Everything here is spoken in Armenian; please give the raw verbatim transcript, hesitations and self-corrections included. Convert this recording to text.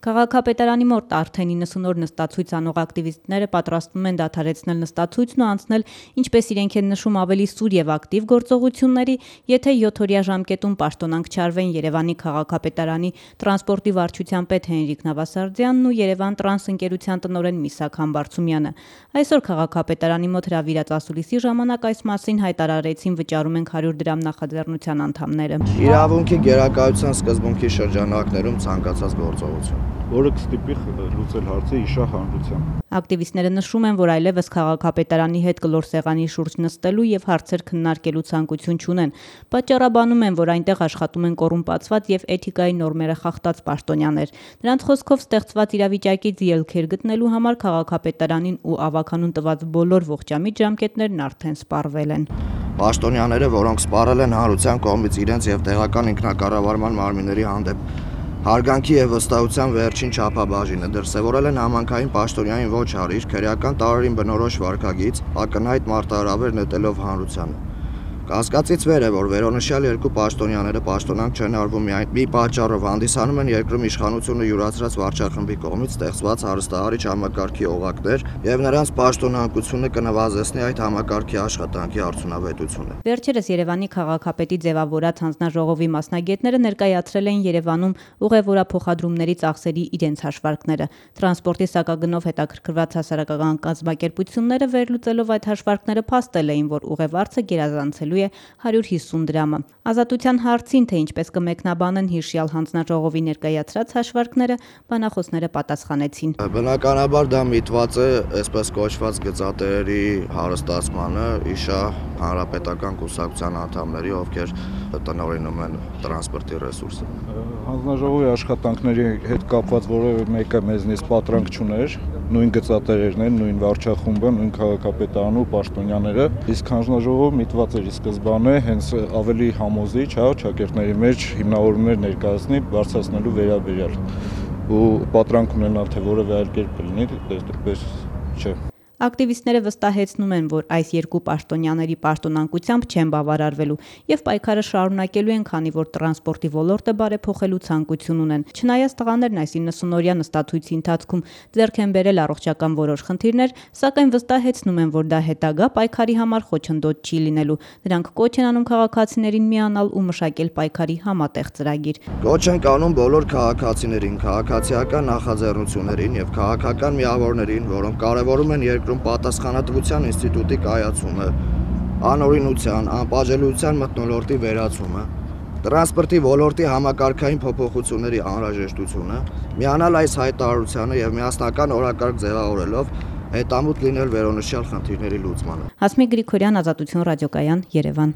Քաղաքապետարանի մոտ արդեն իննսուն օր նստացույց անող ակտիվիստները պատրաստվում են դադարեցնել նստացույցն ու անցնել, ինչպես իրենք են նշում, ավելի սուր եւ ակտիվ գործողությունների, եթե յոթօրյա ժամկետում պաշտոնանկ չարվեն Երևանի քաղաքապետարանի տրանսպորտի վարչության պետ Հենրիկ Նավասարդյանն ու Երևան տրանս ընկերության տնօրեն Միսակ Համբարձումյանը։ Այսօր քաղաքապետարանի մոտ հրավիրած ասուլիսի ժամանակ այս մասին հայտարարեցին վճարում ենք հարյուր դրամ նախաձեռնության անդամները։ Իրավունքի գերակայության սկզբունքի շրջանակներում ցանկացած գործողություն, որը կստիպի լուծել հարցը իշահ հանրությամբ։ Ակտիվիստները նշում են, որ այլևս քաղաքապետարանի հետ կլոր սեղանի շուրջ նստելու եւ հարցեր քննարկելու ցանկություն չունեն։ Պատճառաբանում են, որ այնտեղ աշխատում են կոռումպացված եւ էթիկայի նորմերը խախտած պաշտոնյաներ։ Նրանց խոսքով ստեղծված իրավիճակից ելքեր գտնելու համար քաղաքապետարանին ու ավականուն տված բոլոր ողջամիտ ժամկետներն արդեն սպառվել են։ Պաշտոնյաները, որոնք սպառել են հանրության կողմից իրենց եւ տեղական ինքնակառավարման մարմինների հանդեպ հարգանքի եւ վստահության վերջին չափաբաժինը, դրսեւորել են համանքային պաշտոնյային ոչ հարիր, քրեական տարրերին բնորոշ վարքագիծ, ակնհայտ մարտահրավեր նետելով հանրությանը։ Կասկածից վեր է, որ վերոնշյալ երկու պաշտոնյաները պաշտոնանկ չեն արվում միայն մի պատճառով, հանդիսանում են երկրում իշխանությունը յուրացրած վարչախմբի կողմից ստեղծված հարստահարիչ համակարգի օղակներ եւ նրանց պաշտոնանկությունը կնվազեցնի այդ համակարգի աշխատանքի արդյունավետությունը։ Վերջերս Երևանի քաղաքապետի ձևավորած հանձնաժողովի մասնագետները ներկայացրել են Երևանում ուղևորափոխադրումների ծախսերի իրենց հաշվարկները։ Տրանսպորտի սակագնով հետաքրքրված հասարակական կազմակերպությունները վերլուծելով այդ հաշվարկները փաստել էին, որ ուղևարցը գերազանցելու է հարյուր հիսուն դրամը։ Ազատության հարցին, թե ինչպես կմեկնաբանեն հիշյալ հանձնաժողովի ներկայացրած հաշվարկները, բանախոսները պատասխանեցին։ Բնականաբար դա միտված է այսպես կոչված գծատերերի հարստացմանը իշահ հանրապետական կուսակցության անդամների, ովքեր տնօրինում են տրանսպորտի ռեսուրսը։ Հանձնաժողովի աշխատանքների հետ կապված որևէ մեկը մեզնից պատրանք չուներ, նույն գծատերերն են, նույն վարչախումբը, նույն քաղաքապետարանը ու պաշտոնյաները, իսկ հանձնաժողովը միտված էր սկզբանե հենց ավելի համոզիչ, հա, ճակերտների մեջ հիմնավորումներ ներկայացնի բարձրացնելու վերաբերյալ ու պատրանք ունենալ, թե որևէ այլ կերպ կլինի, այդպես չէ։ Ակտիվիստները վստահեցնում են, որ այս երկու պաշտոնյաների պաշտոնանկությամբ չեն բավարարվելու եւ պայքարը շարունակելու են, քանի որ տրանսպորտի ոլորտը բարեփոխելու ցանկություն ունեն։ Չնայած տղաներն այս իննսունօրյա նստացույցի ընթացքում ձեռք են բերել առողջական որոշ խնդիրներ, սակայն վստահեցնում են, որ դա հետագա պայքարի համար խոչընդոտ չի լինելու։ Նրանք կոչ են անում քաղաքացիներին միանալ ու մշակել պայքարի համատեղ ծրագիր։ Կոչ են անում բոլոր քաղաքացիներին, քաղաքացիական նախաձեռնություններին եւ քաղաքական միավորներին, որոնք կարեւորում են երկրում պատասխանատվության ինստիտուտի կայացումը, անօրինության, անպատժելիության մթնոլորտի վերացումը, տրանսպորտի ոլորտի համակարգային փոփոխությունների անհրաժեշտությունը, միանալ այս հայտարարությանը եւ միասնական օրակարգ ձևավորելով հետամուտ լինել վերոնշյալ խնդիրների լուծմանը։ Հասմիկ Գրիգորյան, Ազատություն ռադիոկայան, Երևան։